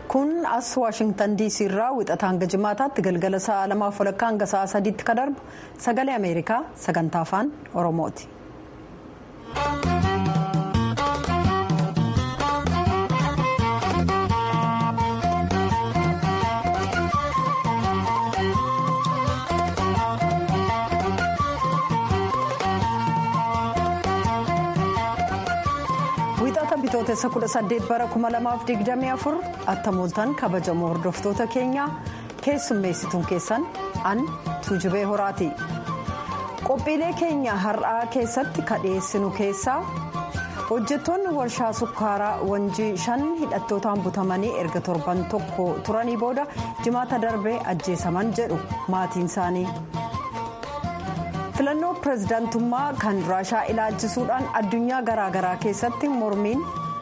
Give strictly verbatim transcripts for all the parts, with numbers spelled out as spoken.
Kun as Waashingtan D C irraa wixataa hanga jimaataatti galgala sa'a lamaaf walakkaa hanga sa'a sadiitti kan darbu Sagalee Ameerikaa sagantaa Afaan Oromooti. Bitootessa kudha saddeet bara kuma lamaaf digdamii afur, attamooltan kabajamoo hordoftoota keenyaa, keessummeessituun keessan an Tuujubee Horaati. Qophiilee keenya har'aa keessatti ka dhiyeessinu keessaa, hojjettoonni warshaa sukkaaraa Wanjii shan hidhattootaan butamanii erga torban tokko turanii booda jimaata darbee ajjeesaman jedhu maatiin isaanii. Filannoo pireezidaantummaa kan Raashaa ilaalchisuudhaan addunyaa garaagaraa keessatti mormiin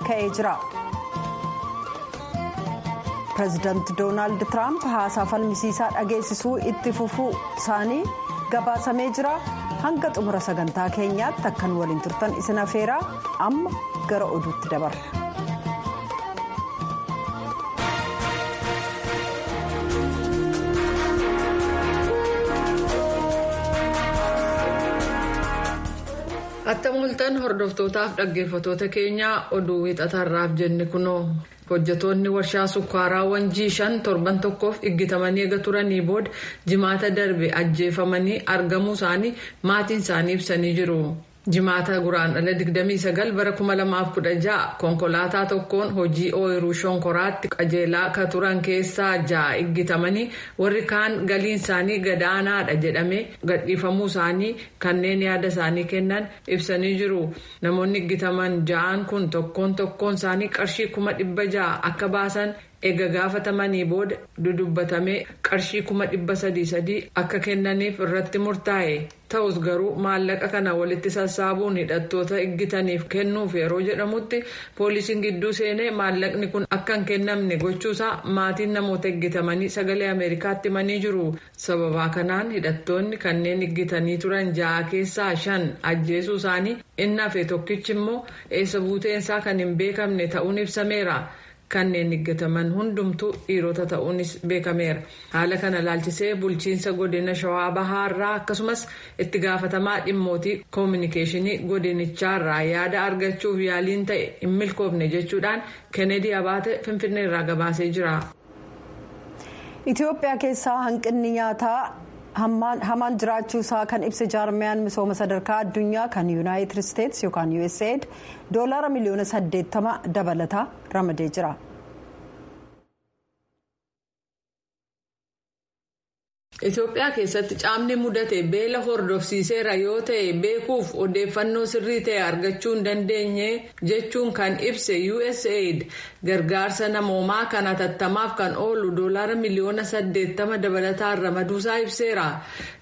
ka'ee jira. Pireezidaanti Doonaald Tiraamp haasaa falmisiisaa dhageessisuu itti fufuu isaanii gabaasamee jira. Hanga xumura sagantaa keenyaatti akkan waliin turtan isin afeeraa, amma gara oduutti dabarra. Attam hordoftootaaf dhaggeeffatoota keenyaa, oduu wixatarraaf jenne kunoo. Hojjetoonni warshaa sukkaaraa Wanjii shan torban tokkoof iggitamanii eega turanii booda jimaata darbe ajjeefamanii argamuu isaanii maatiin isaanii ibsanii jiru. Jimaata Guraandhala digdamii sagal bara kuma lamaaf kudha ja'a konkolaataa tokkoon hojii ooyiruu shonkoraatti qajeelaa ka turan keessaa ja'a iggitamanii, warri kaan galiin isaanii gadaanaadha jedhamee gadhiifamuu isaanii kanneen yaada isaanii kennan ibsanii jiru. Namoonni iggitaman ja'aan kun tokkoon tokkoon isaanii qarshii kuma dhibba ja'a akka baasan eega gaafatamanii booda dudubbatamee qarshii kuma dhibba sadii sadii akka kennaniif irratti murtaa'e. Ta'us garuu maallaqa kana walitti sassaabuun hidhattoota iggitaniif kennuuf yeroo jedhamutti poolisiin gidduu seenee maallaqni kun akka hin kennamne gochuusaa maatiin namoota iggitamanii Sagalee Ameerikaatti himanii jiru. Sababaa kanaan hidhattoonni kanneen iggitanii turan ja'a keessaa shan ajjeesuu isaanii, inni hafe tokkichi immoo eessa buuteensaa kan hin beekamne ta'uun ibsameera. Kanneen iggitaman hundumtuu dhiirota ta'uunis beekameera. Haala kana ilaalchisee bulchiinsa godina Shawaa Bahaarraa akkasumas itti gaafatamaa dhimmootii koominikeeshinii godinichaarraa yaada argachuuf yaaliin ta'e hin milkoofne jechuudhaan Kennedy Abaate Finfinneerraa gabaasee jira. Itoophiyaa keessaa hanqinni nyaataa hamaan jiraachuu isaa kan ibse jaarmiyaan misooma sadarkaa addunyaa kan Yuunaayitid Isteetsi yookaan U S A I D doolaara miliyoona saddeettama dabalataa ramadee jira. Itoophiyaa keessatti caamni mudate beela hordofsiiseera yoo ta'e beekuuf odeeffannoo sirrii ta'e argachuu hin dandeenye jechuun kan ibse U S A I D, gargaarsa namoomaa kan hatattamaaf kan oolu doolaara miliyoona saddeettama dabalataan ramaduusaa ibseera.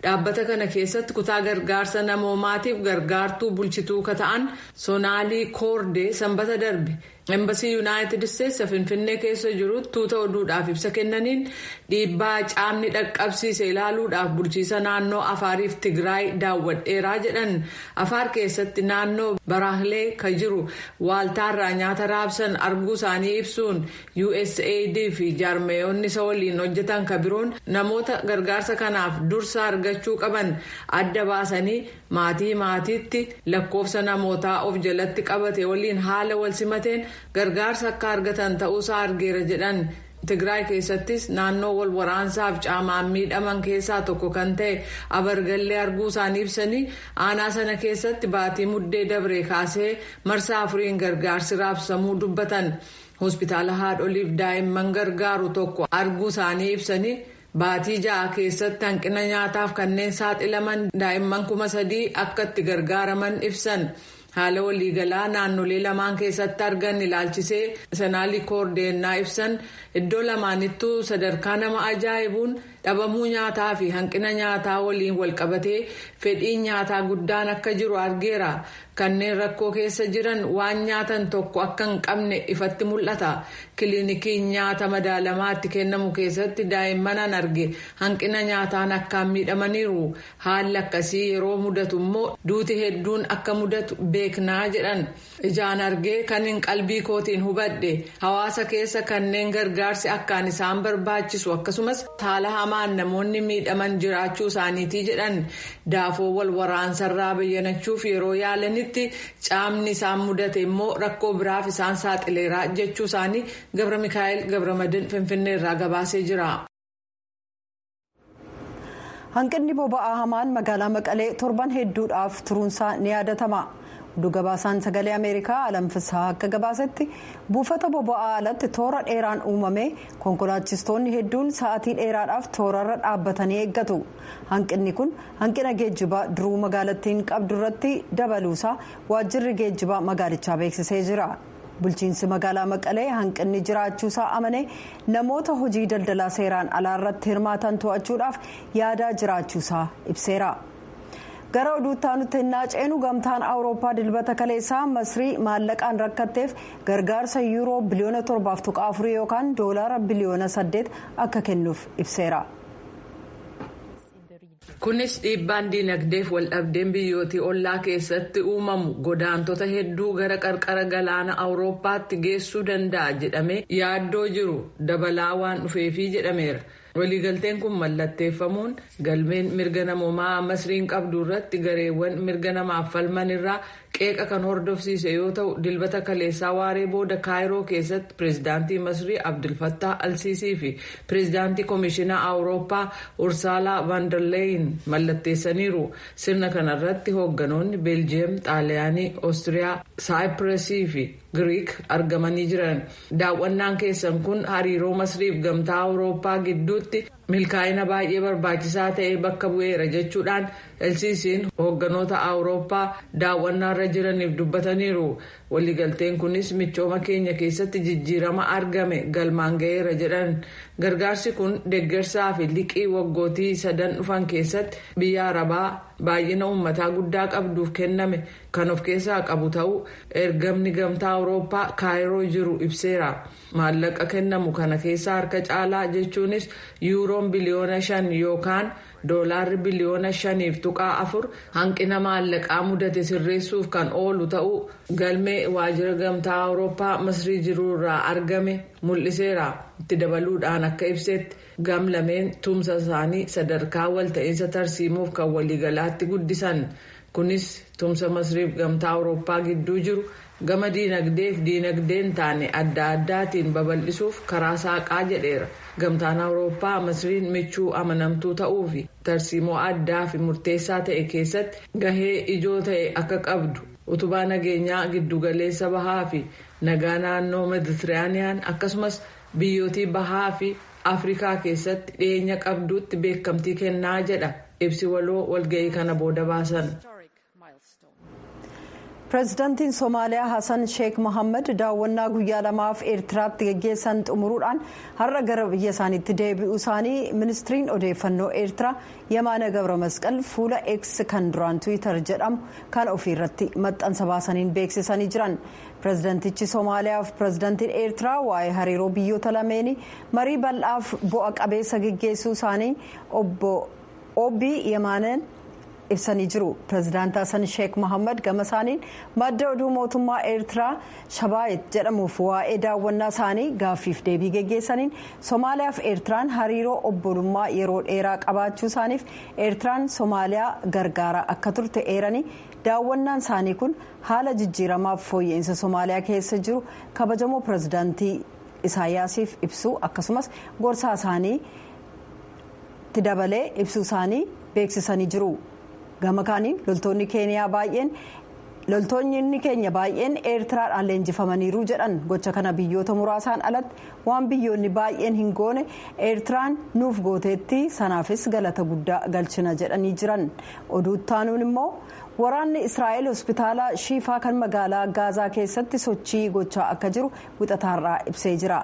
Dhaabbata kana keessatti kutaa gargaarsa namoomaatiif gargaartuu bulchituu ka ta'an Sonaalii Koordee sanbata darbe Embasii Yuunaayitid Isteetsi Finfinnee keessa jiru tuuta oduudhaaf ibsa kennaniin, dhiibbaa caamni dhaqqabsiise ilaaluudhaaf bulchiisa naannoo Afaariif Tigraay daawwadheeraa jedhan. Afaar keessatti naannoo Baraahlee kan jiru waaltaarraa nyaata raabsan arguu isaanii ibsuun, U S A I D fi jaarmeeyonni isa waliin hojjetan kan biroon namoota gargaarsa kanaaf dursa argachuu qaban adda baasanii maatii maatiitti lakkoofsa namootaa of jalatti qabate waliin haala wal simateen gargaarsa akka argatan ta'uusaa argeera jedhan. Tigraay keessattis naannoo wal waraansaaf caamaan miidhaman keessaa tokko kan ta'e Abargallee arguu isaanii ibsanii, aanaa sana keessatti baatii Muddee dabree kaasee marsaa afuriin gargaarsi raabsamuu dubbatan. Hospitaala haadholiif daa'imman gargaaru tokko arguu isaanii ibsanii, baatii ja'a keessatti hanqina nyaataaf kanneen saaxilaman daa'imman kuma sadii akka itti gargaaraman ibsan. Haala waliigalaa naannolee lamaan keessatti argan ilaalchisee Sonaalii Koordeennaa ibsan, iddoo lamaanittuu sadarkaa nama ajaa'ibuun Dhabamuu nyaataa fi hanqina nyaataa waliin walqabatee fedhiin nyaataa guddaan akka jiru argeera. Kanneen rakkoo keessa jiran waan nyaatan tokko akka hin qabne ifatti mul'ata. Kiliinikiin nyaata madaalamaatti kennamu keessatti daa'imman arge hanqina nyaataan akkaan miidhamaniiru. Haalli akkasii yeroo mudatu immoo duuti hedduun akka mudatu beeknaa jedhan. Ijaan argee kan hin qalbii kootiin hubadhe hawaasa keessa kanneen gargaarsi akkaan isaan barbaachisu akkasumas haala hamaan namoonni miidhaman jiraachuu isaaniitii jedhan. Daafoo wal waraansarraa bayyanachuuf yeroo yaalanitti caamni isaan mudate immoo rakkoo biraaf isaan saaxileera jechuu isaanii Gabra Mikaa'el Gabramadin Finfinneerraa gabaasee jira. Hanqinni boba'aa hamaan magaalaa Maqalee torban hedduudhaaf turuunsaa ni yaadatama. Oduu gabaasaan sagalee Ameerikaa Alam Fisaa akka gabaasetti buufata boba'aa alatti toora dheeraan uumame konkolaachistoonni hedduun sa'aatii dheeraadhaaf toorarra dhaabbatanii eeggatu. Hanqinni kun hanqina geejjibaa duruu magaalattiin qabdu irratti dabaluusaa waajjirri geejjibaa magaalichaa beeksisee jira. Bulchiinsi magaalaa Maqalee hanqinni jiraachuusaa amane namoota hojii daldalaa seeraan alaa irratti hirmaatan to'achuudhaaf yaadaa jiraachuusaa ibseera. Gara oduutti aanutti hin ceenu gamtaan Awurooppaa dilbata kaleessaa Masrii maallaqaan rakkatteef gargaarsa yuuroo biliyoona torbaaf tuqaa afurii yookaan doolaara biliyoona saddeet akka kennuuf ibseera. Kunis dhiibbaan diinagdeef waldhabdeen biyyootii ollaa keessatti uumamu godaantota hedduu gara qarqara galaana Awurooppaatti geessuu danda'a jedhamee yaaddoo jiru dabalaa waan dhufeefii jedhameera. Waliigalteen kun mallatteeffamuun galmeen mirga namoomaa Masriin qabdu irratti gareewwan mirga namaaf falman irraa qeeqa kan hordofsiise yoo ta'u, dilbata kaleessaa waaree booda Kaayiroo keessatti pireezidaantii Masrii Abdulfattaa Alsiisii fi pireezidaantii Komishinaa Awurooppaa Ursaalaa Vaanderleeyin mallatteessaniiru. Sirna kanarratti hoogganoonni Beeljiyeem, Xaaliyaanii, Oostiriyaa, Saayipirasii fi Giriik argamanii jiran. Daawwannaan keessan kun hariiroo Masriif gamtaa Awurooppaa gidduutti milkaa'ina baay'ee barbaachisaa ta'e bakka bu'eera jechuudhaan Elsiisiin hoogganoota Awurooppaa daawwannaarra jiraniif dubbataniiru. Waliigalteen kunis michooma keenya keessatti jijjiirama argame galmaan ga'eera jedhan. Gargaarsi kun deeggarsaa fi liqii waggootii sadan dhufan keessatti biyya Arabaa baay'ina uummataa guddaa qabduuf kenname kan of keessaa qabu ta'uu ergamni gamtaa Awurooppaa Kaayiroo jiru ibseera. Maallaqa kennamu kana keessaa harka caalaa jechuunis yuuroon biliyoona shan yookaan doolaarri biliyoona shaniif tuqaa afur hanqina maallaqaa mudate sirreessuuf kan oolu ta'uu galmee waajjira gamtaa Awurooppaa Masrii jiruurraa argame mul'iseera. Itti dabaluudhaan akka ibsetti gam lameen tumsa isaanii sadarkaa walta'iinsa tarsiimuuf kan waliigalaatti guddisan. Kunis tumsa Masriif gamtaa Awurooppaa gidduu jiru gama diinagdeef diinagdeen taane adda addaatiin babal'isuuf karaa saaqaa jedheera. Gamtaan Awurooppaa Masriin michuu amanamtuu ta'uu fi tarsiimoo addaa fi murteessaa ta'e keessatti gahee ijoo ta'e akka qabdu utubaa nageenyaa giddugaleessa bahaa fi nagaa naannoo Meeditiraaniyaan akkasumas biyyootii bahaa fi Afrikaa keessatti dhiyeenya qabduutti beekamtii kennaa jedha ibsi waloo walga'ii kana booda baasan. Pireezidaantiin Somaaliyaa Hassan Sheekh Mohaammed daawwannaa guyyaa lamaaf Eertiraatti geggeessan xumuruudhaan har'a gara biyya isaaniitti deebi'uu isaanii ministiriin odeeffannoo Eertiraa Yemaana Gabra Masqal fuula X kan duraan Tiwiitar jedhamu kan ofiirratti maxxansa baasaniin beeksisanii jiran. Pireezidaantichi Somaaliyaa fi pireezidaantiin Eertiraa waa'ee hariiroo biyyoota lameenii marii bal'aaf bu'a qabeessa geggeessuu isaanii obbo Obii Yemaaneen ibsanii jiru. Pireezidaant Hassan Sheekh Mohaammed gama isaaniin madda oduu mootummaa Eertiraa Shabaayit jedhamuuf waa'ee daawwannaa isaanii gaaffiif deebii geggeessaniin Somaaliyaa fi Eertiraan hariiroo obbolummaa yeroo dheeraa qabaachuu isaaniif Eertiraan Somaaliyaa gargaaraa akka turte eeranii daawwannaan isaanii kun haala jijjiiramaaf fooyya'insa Somaaliyaa keessa jiru kabajamoo pireezidaantii Isaayyaasiif ibsuu akkasumas gorsaa isaanii itti dabalee ibsuu isaanii beeksisanii jiru. Gama kaaniin loltoonni keeniyaa baay'een loltoonni keenya baay'een Eertiraadhaan leenjifamaniiru jedhan. Gocha kana biyyoota muraasaan alatti waan biyyoonni baay'een hin goone Eertiraan nuuf gooteetti, sanaafis galata guddaa galchina jedhanii jiran. Oduu taanuun immoo waraanni Israa'el hospitaala Shiifaa kan magaalaa Gaazaa keessatti sochii gochaa akka jiru wixataarraa ibsee jira.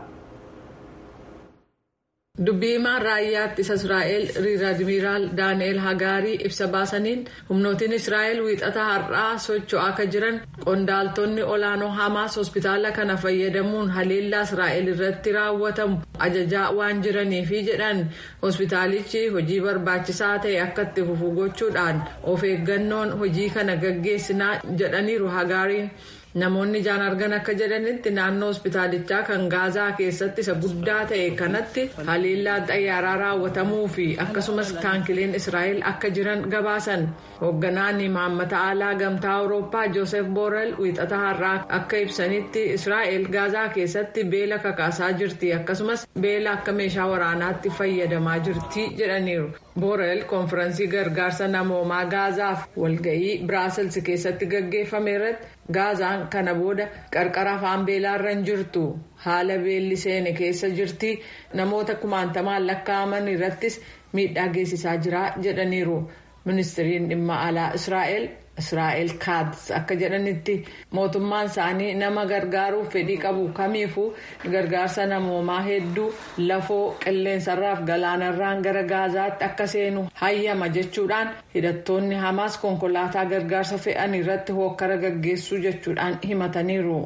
Dubbii himaan raayyaa ittisa Israa'el Riir Admiraal Daani'el Hagaarii ibsa baasaniin humnootiin Israa'el wiixata har'aa socho'aa akka jiran qondaaltonni olaanoo Hamaas hospitaala kana fayyadamuun haleellaa Israa'el irratti raawwatamu ajajaa waan jiraniifi jedhan hospitaalichi hojii barbaachisaa ta'e akka itti fufu gochuudhaan of eeggannoon hojii kana gaggeessinaa jedhaniiru Hagaariin. Namoonni ijaan argan akka jedhanitti naannoo hospitaalichaa kan Gaazaa keessatti isa guddaa ta'e kanatti haleellaan xayyaaraa raawwatamuu fi akkasumas taankileen Israa'el akka jiran gabaasan. Hoogganaan imaammata alaa gamtaa Awurooppaa Joosef Boorel wiixata har'aa akka ibsanitti Israa'el Gaazaa keessatti beela kakaasaa jirti, akkasumas beela akka meeshaa waraanaatti fayyadamaa jirti jedhaniiru. Boorel koonfiraansii gargaarsa namoomaa Gaazaaf walga'ii Biraasels keessatti gaggeeffame irratti Gaazaan kana booda qarqara afaan beelaarra hin jirtu, haala beelli seene keessa jirti, namoota kumaantamaan lakkaa'aman irrattis miidhaa geessisaa jira jedhaniiru. Ministiriin dhimma alaa Israa'el Israa'el Kaatz akka jedhanitti mootummaan isaanii nama gargaaruuf fedhii qabu kamiifuu gargaarsa namoomaa hedduu lafoo qilleensarraaf galaanarraan gara Gaazaatti akka seenu hayyama jechuudhaan hidhattoonni Hamaas konkolaataa gargaarsa fe'an irratti hookkara gaggeessuu jechuudhaan himataniiru.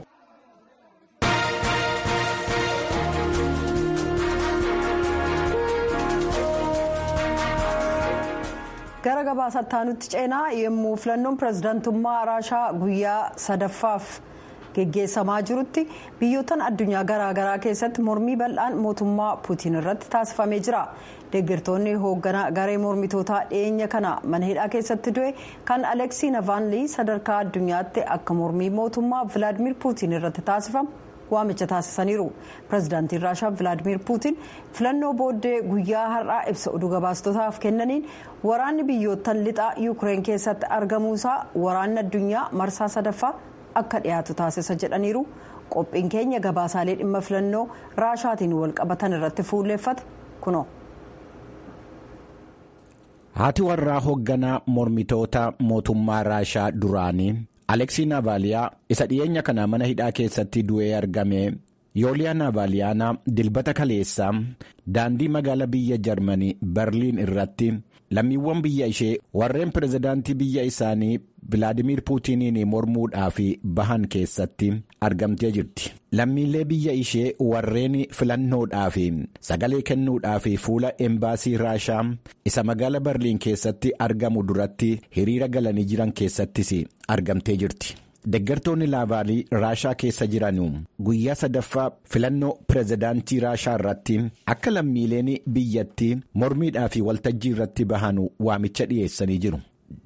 Gara gabaasaatti aanutti ceenaa yommuu filannoon pirezidaantummaa Raashaa guyyaa sadaffaaf geggeessamaa jirutti biyyoottan addunyaa garaagaraa keessatti mormii bal'aan mootummaa Puutiin irratti taasifamee jira. Deeggartoonni hoogganaa garee mormitootaa dhiyeenya kana mana hidhaa keessatti du'e kan Aleksii Navaanlii sadarkaa addunyaatti akka mormii mootummaa Vilaadimir Puutiin irratti taasifamu waamicha taasisaniiru. Pirezidaantiin Raashaa Vilaadimir Puutiin filannoo booddee guyyaa har'aa ibsa oduu gabaastotaaf kennaniin waraanni biyyoottan lixaa Yuukireen keessatti argamuusaa waraanni addunyaa marsaa sadaffaa akka dhiyaatu taasisa jedhaniiru. Qophiin keenya gabaasaalee dhimma filannoo Raashaatiin wal qabatan irratti fuulleeffate kunoo. Haati warraa hoogganaa mormitoota mootummaa Raashaa duraanii Aleksii Naavaaliyaa isa dhiyeenya kana mana hidhaa keessatti du'ee argame Yooliyaa Naavaaliyaana dilbata kaleessaa daandii magaalaa biyya Jarmanii Berliin irratti lammiiwwan biyya ishee warreen pirezidaantii biyya isaanii Vilaadimir Puutiniin mormuudhaaf bahan keessatti argamtee jirti. Lammiilee biyya ishee warreen filannoodhaaf sagalee kennuudhaaf fuula embaasii Raashaa isa magaalaa Berliin keessatti argamu duratti hiriira galanii jiran keessattis argamtee jirti. Deeggartoonni Naavaalii Raashaa keessa jiran guyyaa sadaffaa filannoo pirezidaantii Raashaa irratti akka lammiileen biyyattii mormiidhaa fi waltajjii irratti bahan waamicha dhiyeessanii jiru.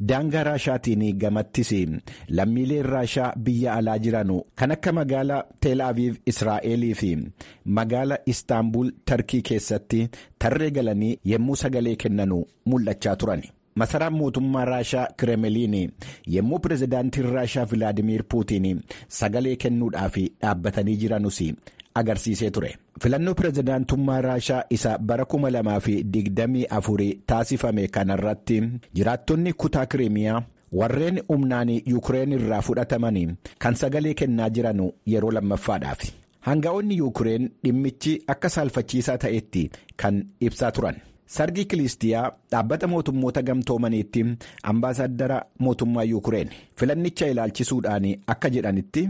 Daangaa Raashaatiin gamattis lammiileen Raashaa biyya alaa jiran kan akka magaalaa Teel Aviv Israa'elii fi magaala Istaanbul Tarkii keessatti tarree galanii yommuu sagalee kennan mul'achaa turan. Masaraan mootummaa Raashaa Kireemiliin yommuu pirezidaantiin Raashaa Vilaadimir Puutiin sagalee kennuudhaaf dhaabbatanii jiranus agarsiisee ture. Filannoo pirezidaantummaa Raashaa isa bara kuma lamaa fi digdamii afurii taasifame kanarratti jiraattonni kutaa Kireemiyaa warreen humnaan Yuukireen irraa fudhataman kan sagalee kennaa jiran yeroo lammaffaadhaaf. Hanga'oonni Yuukireen dhimmichi akka saalfachiisaa ta'etti kan ibsaa turan. Sargii Kilistiyaa dhaabbata mootummoota gamtoomaniitti ambaasaadara mootummaa Yuukireen filannicha ilaalchisuudhaan akka jedhanitti.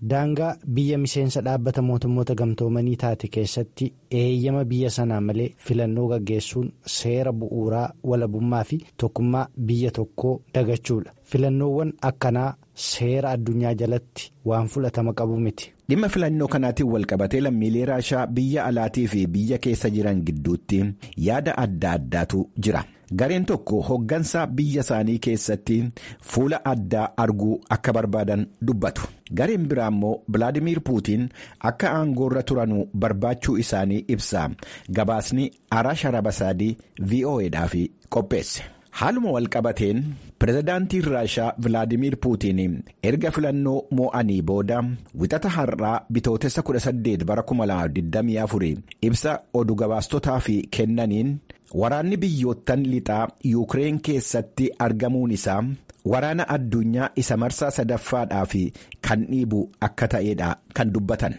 Daangaa biyya miseensa dhaabbata mootummoota gamtoomanii taate keessatti eeyyama biyya sanaa malee filannoo gaggeessuun seera bu'uuraa walabummaa fi tokkummaa biyya tokkoo dagachuudha. Filannoowwan akkanaa seera addunyaa jalatti waan fudhatama qabu miti. Dhimma filannoo kanaatiin walqabatee lammiilee Raashaa biyya alaatii fi biyya keessa jiran gidduutti yaada adda addaatu jira. Gareen tokko hoggansa biyya isaanii keessatti fuula addaa arguu akka barbaadan dubbatu. Gareen biraa immoo Vilaadimir Puutiin akka aangoorra turanu barbaachuu isaanii ibsa. Gabaasni Arash Arabasaadii V O A dhaaf qopheesse. Haaluma walqabateen pirezidaantiin Raashaa Vilaadimir Puutiin erga filannoo moo'anii booda wixata har'aa bitootessa kudha saddeet bara kuma lama digdamii afur ibsa oduu gabaastotaaf kennaniin waraanni biyyoottan lixaa Yuukireen keessatti argamuun isaa waraana addunyaa isa marsaa sadaffaadhaa fi kan dhiibu akka ta'edha kan dubbatan.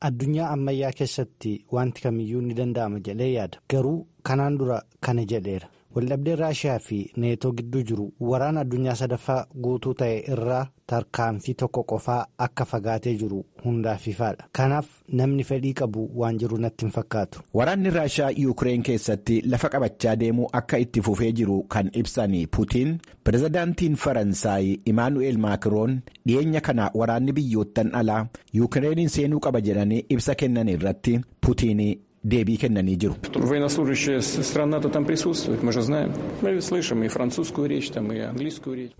Addunyaa ammayyaa keessatti wanti kamiyyuu ni danda'ama jedhee yaada. Garuu kanaan dura kana jedheera. Waldhabdeen Raashiyaa fi Neetoo gidduu jiru waraana addunyaa sadaffaa guutuu ta'e irraa tarkaanfii tokko qofaa akka fagaatee jiru hundaaf ifaadha. Kanaaf namni fedhii qabu waan jiru natti hin fakkaatu. Waraanni Raashiyaa Yuukireen keessatti lafa qabachaa deemuu akka itti fufee jiru kan ibsan Putiin, pirezidaantiin Faransaay Imaanu'eel Maakiroon dhiyeenya kana waraanni biyyoottan alaa Yuukireeniin seenuu qaba jedhanii ibsa kennan irratti Putiin deebii kennanii jiru.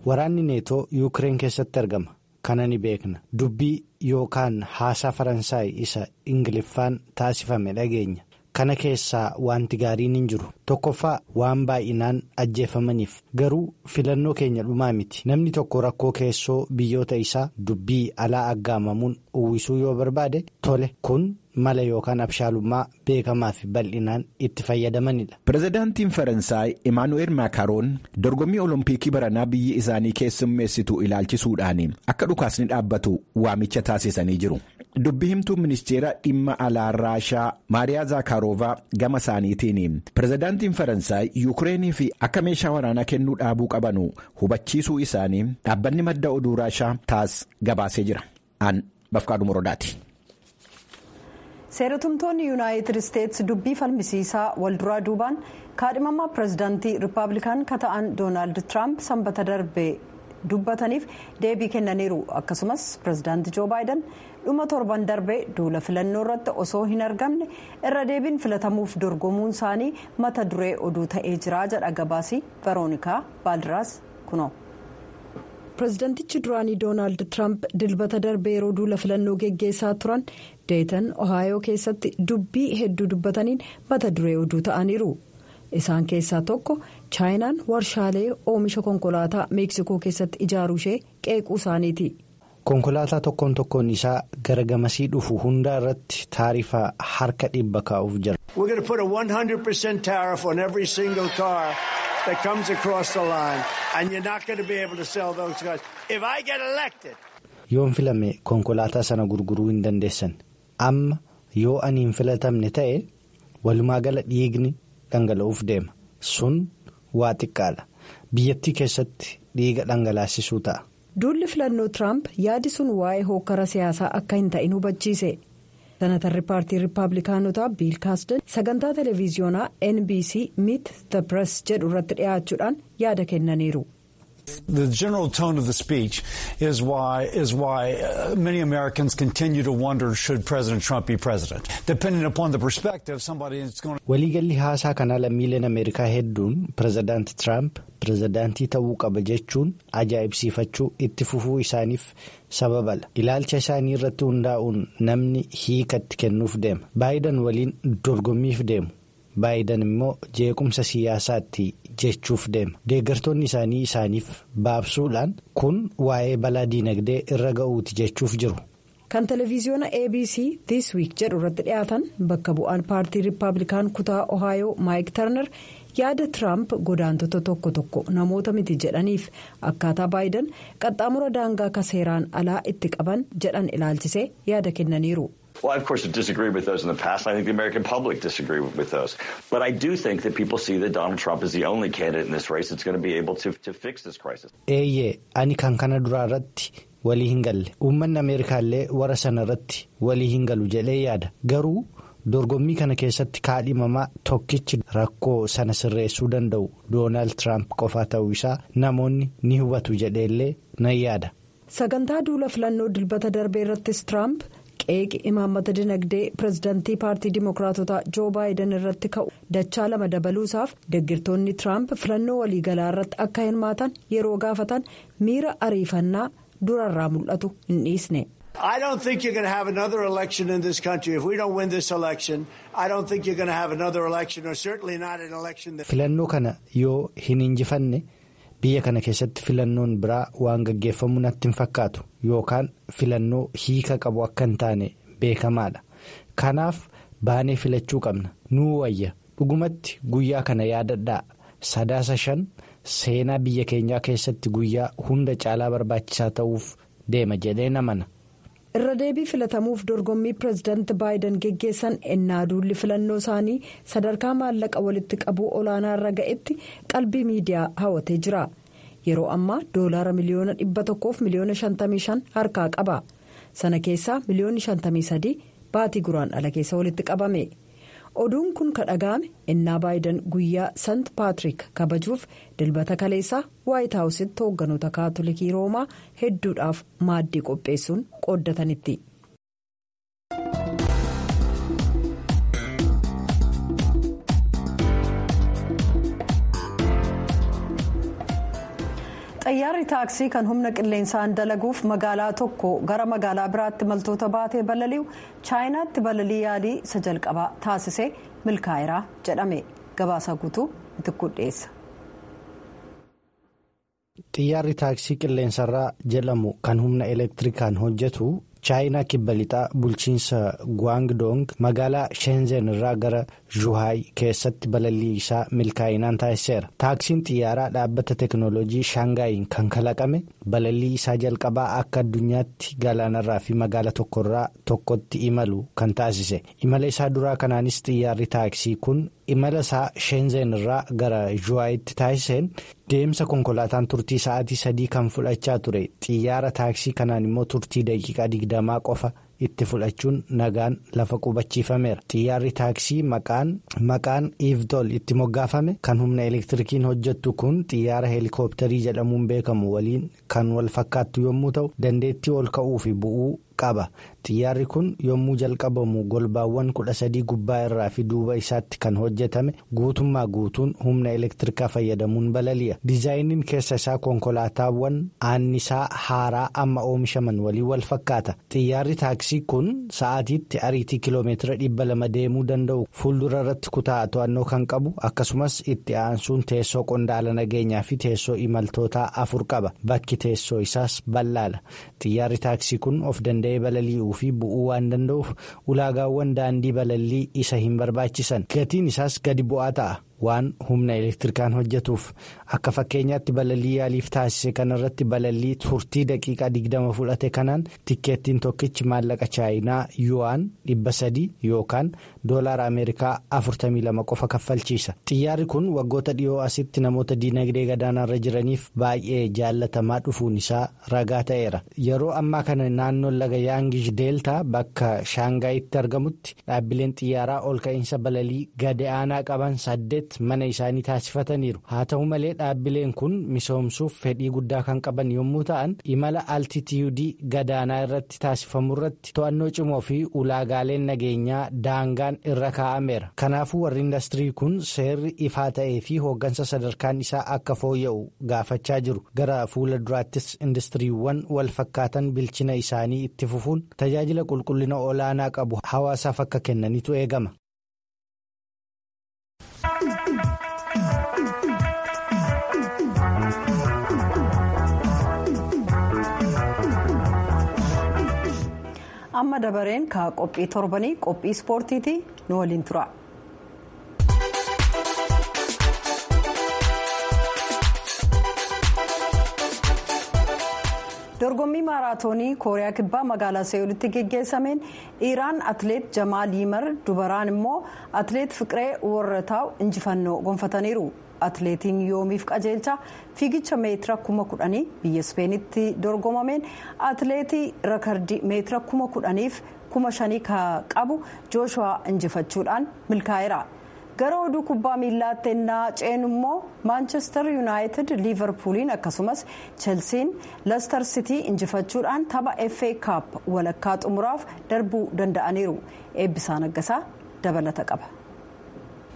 Waraanni Neetoo Yuukireen keessatti argama. Kana ni beekna. Dubbii yookaan haasaa Faransaay isa Ingiliffaan taasifame dhageenya. Kana keessaa wanti gaariin hin jiru. Tokkoffaa waan baay'inaan ajjeefamaniif garuu filannoo keenya dhumaa miti. Namni tokko rakkoo keessoo biyyoota isaa dubbii alaa aggaamamuun uwwisuu yoo barbaade tole kun mala yookaan abshaalummaa beekamaa fi bal'inaan itti fayyadamanidha. Pirezidaantiin Faransaay Imaanu'eel Maakaroon dorgommii Oloompiikii baranaa biyyi isaanii keessummeessitu ilaalchisuudhaan akka dhukaasni dhaabbatu waamicha taasisanii jiru. Dubbi himtuu ministeera dhimma alaa Raashaa Maariyaa Zaakaaroovaa gama isaaniitiin pirezidaantiin Faransaay Yuukireenii fi akka meeshaa waraanaa kennuu dhaabuu qabanu hubachiisuu isaanii dhaabbanni madda oduu Raashaa taas gabaasee jira. Aan Bafqaadhu Morodaati. Seeratumtoonni Yuunaayitid Isteetsi dubbii falmisiisaa walduraa duubaan kaadhimamaa pirezidaantii Rippaabilikaan ka ta'an Doonaald Tiraamp sanbata darbe dubbataniif deebii kennaniiru. Akkasumas pirezidaantii Joo Baayiden dhuma torban darbe duula filannoo irratti osoo hin argamne irra deebiin filatamuuf dorgomuun isaanii mata duree oduu ta'ee jira jedha gabaasii Veroonikaa Baaldiraas kunoo. Pireezidantichi duraanii Doonaald Tiraamp dilbata darbe yeroo duula filannoo geggeessaa turan Deetan Ohaayoo keessatti dubbii hedduu dubbataniin mata duree oduu ta'aniiru. Isaan keessaa tokko Chaayinaan warshaalee oomisha konkolaataa Meeksikoo keessatti ijaaruu ishee qeequu isaaniiti. Konkolaataa tokkoon tokkoon isaa gara gamasii dhufu hundaa irratti taarifa harka dhibba kaa'uuf jira. Yoon filame konkolaataa sana gurguruu hin dandeessan. Amma yoo ani hin filatamne ta'e walumaa gala dhiigni dhangala'uuf deema. Sun waa xiqqaadha. Biyyattii keessatti dhiiga dhangalaasisuu ta'a. Duulli filannoo Tiraamp yaadi sun waa'ee hokkara siyaasaa akka hin ta'in hubachiise. Senatarri paartii Rippaabilikaanotaa Biil Kaasden sagantaa televiziyoonaa N B C Meet the Press jedhu irratti dhiyaachuudhaan yaada kennaniiru. The general tone of the speech is why is why many Americans continue to wonder should President Trump be president. Depending upon the perspective, somebody is going to. Waliigalli haasaa kanaa lammiileen Ameerikaa hedduun pirezidaanti Tiraamp pirezidaantii ta'uu qaba jechuun ajaa'ibsiifachuu itti fufuu isaaniif sababala. Ilaalcha isaanii irratti hundaa'uun namni hiikatti kennuuf deema. Baayiden waliin dorgommiif deemu. Baayiden immoo jeequmsa siyaasaatti jechuuf deema. Deeggartoonni isaanii isaaniif baabsuudhaan kun waa'ee balaa diinagdee irra ga'uuti jechuuf jiru. Kan televiziyoona A B C This Week jedhu irratti dhiyaatan bakka bu'aan paartii Rippaabilikaan kutaa Ohaayoo Maayik Tarnar yaada Tiraamp godaantota tokko tokko namoota miti jedhaniif akkaataa Baayiden qaxxaamura daangaa ka seeraan alaa itti qaban jedhan ilaalchisee yaada kennaniiru. Well, I, of course, disagree with those in the past. I think the American public disagree with those. But I do think that people see that Donald Trump is the only candidate in this race that's going to be able to, to fix this crisis. Eeyyee, ani kan kana duraa irratti walii hin galle. Uummanni Ameerikaallee warra sana irratti walii hin galu jedhee yaada. Garuu dorgommii kana keessatti kaadhimamaa tokkichi rakkoo sana sirreessuu danda'u Doonaald Tiraamp qofaa ta'uu isaa namoonni ni hubatu jedheellee nan yaada. Sagantaa duula filannoo dilbata darbee irrattis Tiraamp. Qeeqi imaammata dinagdee pirezidaantii paartii dimookiraatotaa Joo Baayiden irratti ka'u dachaa lama dabaluusaaf deeggartoonni Tiraamp filannoo waliigalaa irratti akka hirmaatan yeroo gaafatan miira ariifannaa durarraa mul'atu hin dhiisne. I don't think you're going to have another election in this country. If we don't win this election, I don't think you're going to have another election, or certainly not an election that. Filannoo kana yoo hin injifanne biyya kana keessatti filannoon biraa waan gaggeeffamu natti hin fakkaatu yookaan filannoo hiika qabu akka hin taane beekamaadha. Kanaaf baanee filachuu qabna. Nuu wayya Dhugumatti guyyaa kana yaadadhaa. Sadaasa shan seenaa biyya keenyaa keessatti guyyaa hunda caalaa barbaachisaa ta'uuf deema jedheen amana. Irra deebii filatamuuf dorgommii pireezidaanti Baayiden geggeessan ennaa duulli filannoo isaanii sadarkaa maallaqa walitti qabuu olaanaa irra ga'etti qalbii miidiyaa hawwatee jira. Yeroo ammaa doolaara miliyoona dhibba tokkoof miliyoona shantamii shan harkaa qaba. Sana keessaa miliyoonni shantamii sadii baatii guraandhala keessa walitti qabame. Oduun kun kan dhaga'ame ennaa Baayiden guyyaa Sant Paatrik kabajuuf dilbata kaleessaa Waayit Haawusitti hoogganoota kaatolikii Roomaa hedduudhaaf maaddii qopheessuun qooddatanitti. Xayyaarri taaksii kan humna qilleensaan dalaguuf magaalaa tokko gara magaalaa biraatti imaltoota baatee balali'u chaayinaatti balalii yaalii isa jalqabaa taasisee milkaa'eera jedhame. Gabaasa guutuu itti dhiyeessa. Xiyyaarri taaksii qilleensarraa jedhamu kan humna elektirikaan hojjetu chaayinaa kibba lixaa bulchiinsa Guangdong magaalaa Shenzhen irraa gara Zhuhai keessatti balalii isaa milkaa'inaan taasiseera. Taaksiin xiyyaaraa dhaabbata teekinooloojii Shaangaayin kan kalaqame balalii isaa jalqabaa akka addunyaatti galaanarraa fi magaala tokkorraa tokkotti imalu kan taasise. Imala isaa duraa kanaanis xiyyaarri taaksii kun imala isaa Shenzhen irraa gara Zhuhaitti taasiseen deemsa konkolaataan turtii sa'aatii sadii kan fudhachaa ture xiyyaara taaksii kanaan immoo turtii daqiiqaa digdamaa qofa itti fudhachuun nagaan lafa qubachiifameera. Xiyyaarri taaksii maqaan maqaan Iivtol itti moggaafame kan humna elektirikiin hojjettu kun xiyyaara heelikooptarii jedhamuun beekamu waliin kan wal fakkaattu yommuu ta'u dandeettii ol ka'uu fi bu'uu qaba. Xiyyaarri kun yommuu jalqabamu golbaawwan kudha sadii gubbaa irraa fi duuba isaatti kan hojjetame guutummaa guutuun humna elektirikaa fayyadamuun balali'a. Diizaayiniin keessa isaa konkolaataawwan aannisaa haaraa amma oomishaman waliin wal fakkaata. Xiyyaarri taaksii kun sa'aatiitti ariitii kiloomeetira dhibba lama deemuu danda'u fuuldura irratti kutaa to'annoo kan qabu akkasumas itti aansuun teessoo qondaala nageenyaa fi teessoo imaltootaa afur qaba. Bakki teessoo isaas bal'aadha. Xiyyaarri taaksii kun of danda'ee balali'uu fi bu'uu waan danda'uuf ulaagaawwan daandii balalii isa hin barbaachisan. Gatiin isaas gadi bu'aa ta'a waan humna elektirikaan hojjetuuf. Akka fakkeenyaatti balalii yaaliif taasise kanarratti balalii turtii daqiiqaa digdama fudhate kanaan tikkeettiin tokkichi maallaqa chaayinaa yu'aan dhibba sadii yookaan doolaara ameerikaa afurtamii lama qofa kaffalchiisa. Xiyyaarri kun waggoota dhiyoo asitti namoota diinagdee gadaanaarra jiraniif baay'ee jaallatamaa dhufuun isaa ragaa ta'eera. Yeroo ammaa kana naannoon laga Yaangish Deeltaa bakka Shaangaayitti argamutti dhaabbileen xiyyaaraa ol ka'iinsa balalii gadi aanaa qaban saddeet mana isaanii taasifataniiru. Haa ta'u malee dhaabbileen kun misoomsuuf fedhii guddaa kan qaban yommuu ta'an imala altitiyuudii gadaanaa irratti taasifamu irratti to'annoo cimoo fi ulaagaaleen nageenyaa daangaan irra kaa'ameera. Kanaafuu warri indastirii kun seerri ifaa ta'ee fi hooggansa sadarkaan isaa akka fooyya'u gaafachaa jiru. Gara fuula duraattis indastiriiwwan wal fakkaatan bilchina isaanii itti fufuun tajaajila qulqullina olaanaa qabu hawaasaaf akka kennanitu eegama. Amma dabareen ka qophii torbanii qophii ispoortiiti nu waliin tura. Dorgommii maaraatoonii Kooriyaa Kibbaa magaalaa See'ulitti geggeessameen dhiiraan atileet Jamaal Yimar dubaraan immoo atileet Fiqiree Warrataaw injifannoo gonfataniiru. Atileetiin yoomiif qajeelcha fiigicha meetira kuma kudhanii biyya Ispeenitti dorgomameen atileetii rakardii meetira kuma kudhaniif kuma shanii qabu Jooshuwaa injifachuudhaan milkaa'eera. Gara oduu kubbaa miillaatti ennaa ceenu immoo Maanchestar Yuunaayitid Liivarpuuliin akkasumas Chelsiin Leestar Sitii injifachuudhaan tapha F A Cup walakkaa xumuraaf darbuu danda'aniiru. Eebbisaa Naggasaa dabalata qaba.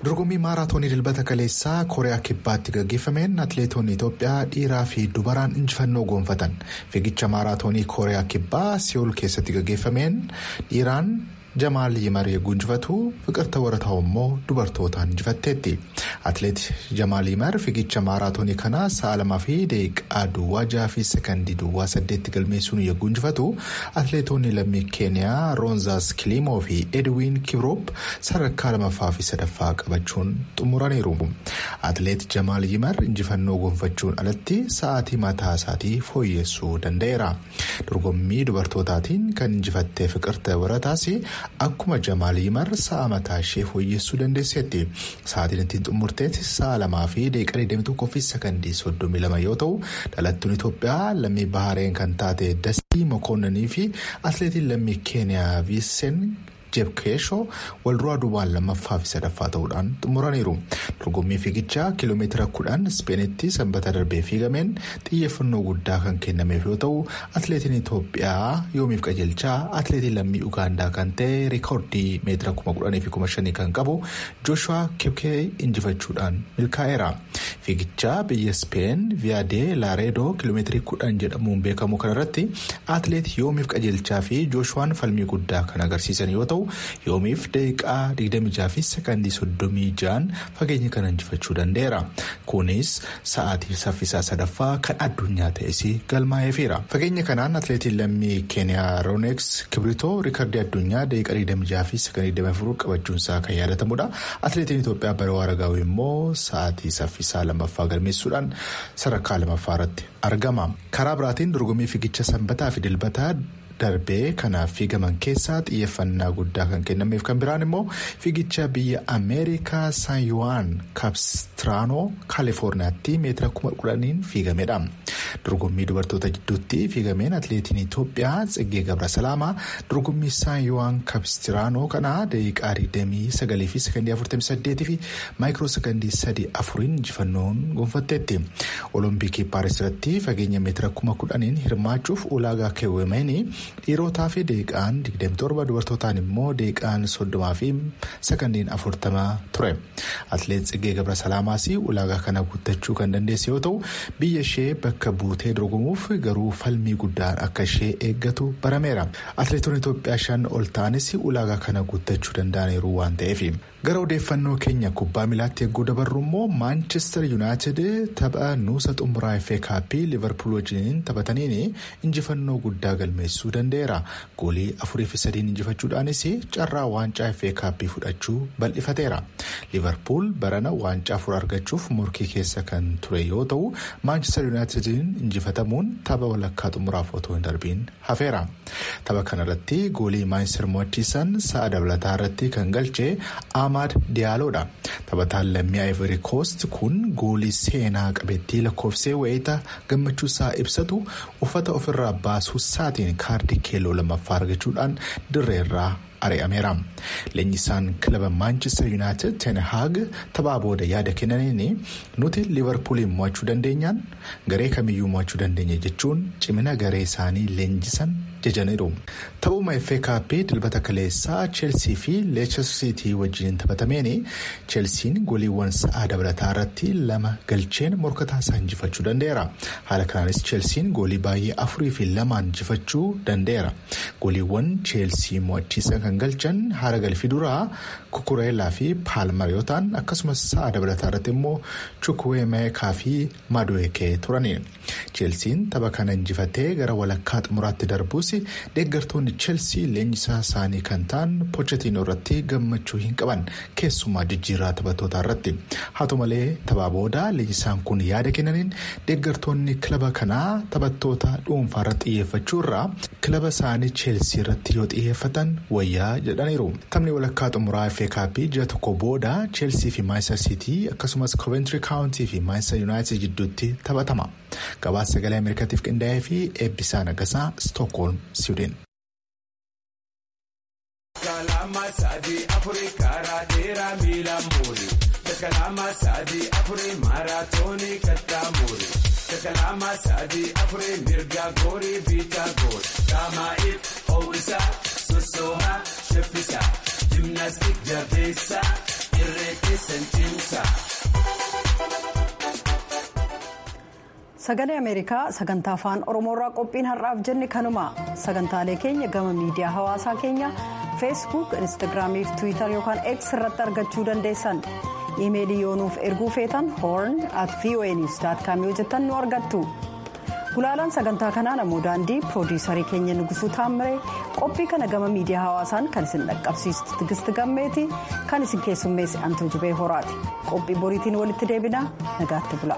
Dorgommii maaraatoonii dilbata kaleessaa Kooriyaa Kibbaatti gaggeeffameen atileetonni Itoophiyaa dhiiraa fi dubaraan injifannoo goonfatan. Fiigicha maaraatoonii Kooriyaa Kibbaa Si'ool keessatti gaggeeffameen dhiiraan Jamaal Yimar yeroo injifatu Fiqirta Warataa'u immoo dubartootaan injifatteetti. Atileet Jamaal Yimar fiigicha maaraatoonii kana sa'a lamaa fi daqiiqaa duwwaa jaha fi sekandii duwwaa saddeetti galmeessuun yeroo injifatu atileetonni lammii Keeniyaa Roonzaas Kiliimoo fi Edwin Kiroop sadarkaa lamaffaa fi sadaffaa qabachuun xumuraniiru. Atileet Jamaal Yimar injifannoo gonfachuun alatti sa'aatii mataa isaatii fooyyessuu danda'eera. Dorgommii dubartootaatiin kan injifattee Fiqirta Warataas akkuma Jamaal Yimar sa'a mataa ishee fooyyessuu dandeesseetti. Sa'aatiin ittiin xumurteetti sa'a lamaa fi daqiiqaa digdamii tokkoo fi sekandii soddomii lama yoo ta'u dhalattuun Itoophiyaa lammii Bahareen kan taate Dastii Mokoonnanii fi atileetiin lammii Keeniyaa Viiseen Jebkeeshoo walduraa duubaan lammaffaa fi sadaffaa ta'uudhaan xumuraniiru. Dorgommii fiigichaa kiiloomeetira kudhan Ispeenitti sanbata darbee fiigameen xiyyeeffannoo guddaa kan kennameef yoo ta'u atileetiin Itoophiyaa yoomiif qajeelchaa atileetiin lammii Ugaandaa kan ta'e rikoordii meetira kuma kudhanii fi kuma shanii kan qabu Jooshuwaa Kipkee injifachuudhaan milkaa'eera. Fiigichaa biyya Ispeen Viyaadee Laareedoo kiiloomeetirii kudhan jedhamuun beekamu kanarratti atileet yoomiif qajeelchaa fi Jooshuwaan falmii guddaa kan agarsiisan yoo ta'u yoomiif daqiiqaa digdamii jaha fi sekandii soddomii ja'an fageenya kana injifachuu danda'eera. Kunis sa'aatii saffisaa sadaffaa kan addunyaa ta'es galmaa'eefira. Fageenya kanaan atileetiin lammii Keeniyaa Rooneeks Kibritoo riikardii addunyaa daqiiqaa digdamii jaha fi sekandii digdamii afur qabachuunsaa kan yaadatamudha. Atileetiin Itoophiyaa Baroo Aragaawii immoo sa'aatii saffisaa lammaffaa galmeessuudhaan sadarkaa lammaffaa irratti argama. Karaa biraatiin dorgommii fiigicha sanbataa fi dilbataa darbee kanaaf fiigaman keessaa xiyyeeffannaa guddaa kan kennameef kan biraan immoo fiigicha biyya Ameerikaa San Yuwaan Kaapistiraanoo Kaalifoorniyaatti meetira kuma kudhaniin fiigamedha. Dorgommii dubartoota gidduutti fiigameen atileetiin Itoophiyaa Tsiggee Gabrasalaamaa dorgommii San Yuwaan Kaapistiraanoo kana daqiiqaa digdamii sagalii fi sekandii afurtamii saddeetii fi maayikiroo sekandii sadii afuriin injifannoon gonfatteetti. Olompikii Paaris irratti fageenya meetira kuma kudhaniin hirmaachuuf ulaagaa keewwameen dhiirotaa fi daqiiqaan digdamii torba dubartootaan immoo daqiiqaan soddomaa fi sekandiin afurtama ture. Atileet Tsiggee Gabrasalaamaas ulaagaa kana guuttachuu kan dandeesse yoo ta'u biyya ishee bakka buutee dorgomuuf garuu falmii guddaan akka ishee eeggatu barameera. Atileetonni Itoophiyaa shan ol ta'anis ulaagaa kana guuttachuu danda'aniiru waan ta'eef. Gara odeeffannoo keenya kubbaa miilaatti eeguu dabarru immoo Maanchestar Yuunaayitid tapha nuusa xumuraa F A Kaappii Liverpool wajjin taphataniin injifannoo guddaa galmeessuu danda'eera. Goolii afurii fi sadiin injifachuudhaanis carraa waancaa F A Kaappii fudhachuu bal'ifateera. Liverpool barana waancaa afur argachuuf morkii keessa kan ture yoo ta'u Maanchestar Yuunaayitidin injifatamuun tapha walakkaa xumuraaf otoo hin darbiin hafeera. Tapha kanarratti goolii Maanchestar mo'achiisan sa'a dabalataa irratti kan galche Ahmad Diyaaloodha. Taphataan lammii Ivory Coast kun goolii seenaa qabeettii lakkoofsee wayita gammachuu isaa ibsatu uffata ofirraa baasuu isaatiin kaardii keelloo lammaffaa argachuudhaan dirreerraa ari'ameera. Leenjisaan kilaba Manchester United Ten Hag taphaa booda yaada kennaniin nuti Liverpooliin mo'achuu dandeenyaan garee kamiyyuu mo'achuu dandeenya jechuun cimina garee isaanii leenjisan jajaniiru. Taphuma F A Kaappii dilbata kaleessaa Chelsea fi Leicester City wajjin taphatameen Chelsiin gooliiwwan sa'aa dabalataa irratti lama galcheen morkataa isaa injifachuu danda'eera. Haala kanaanis Chelsiin goolii baay'ee afurii fi lamaan injifachuu danda'eera. Gooliiwwan Chelsea mo'achiisan kan galchan haara galfii duraa Kukureelaa fi Paalmar yoo ta'an akkasumas sa'a dabalataa irratti immoo Chukwuemeekaa fi Madueke turani. Chelsiin tapha kana injifatee gara walakkaa xumuraatti darbus deeggartoonni Chelsea leenjisaa isaanii kan ta'an Pochettino irratti gammachuu hin qaban keessumaa jijjiirraa taphattootaa irratti. Haa ta'u malee taphaa booda leenjisaan kun yaada kennaniin deeggartoonni kilaba kanaa taphattoota dhuunfaa irratti xiyyeeffachuu irraa kilaba isaanii Chelsea irratti yoo xiyyeeffatan wayyaa jedhaniiru. Taphni walakkaa xumuraa F A Kaappii ji'a tokko booda Chelsea fi Manchester City akkasumas Coventry County fi Manchester United jidduutti taphatama. Gabaasa sagalee Ameerikaatiif qindaa'ee fi Eebbisaa Nagasaa Stookholm, Siwiidin. Sagalee Ameerikaa sagantaa afaan Oromoorraa qophiin har'aaf jenne kanuma sagantaalee keenya gama miidiyaa hawaasaa keenya feesbuuk, instaagiraamii fi tiwiitar yookaan x irratti argachuu dandeessan. Iimeelii yoo nuuf erguu feetan horn at voa news dot com yoo jettan nu argattu. Gulaalaan sagantaa kanaa namoo daandii, piroodiisarii keenya Nugusuu Taammiree, qophii kana gama miidiyaa hawaasaan kan isin dhaqqabsiistu Tigisti Gammeeti, kan isin keessummeesse Antuu Jibee Horaati. Qophii boriitiin walitti deebina, nagaatti bula.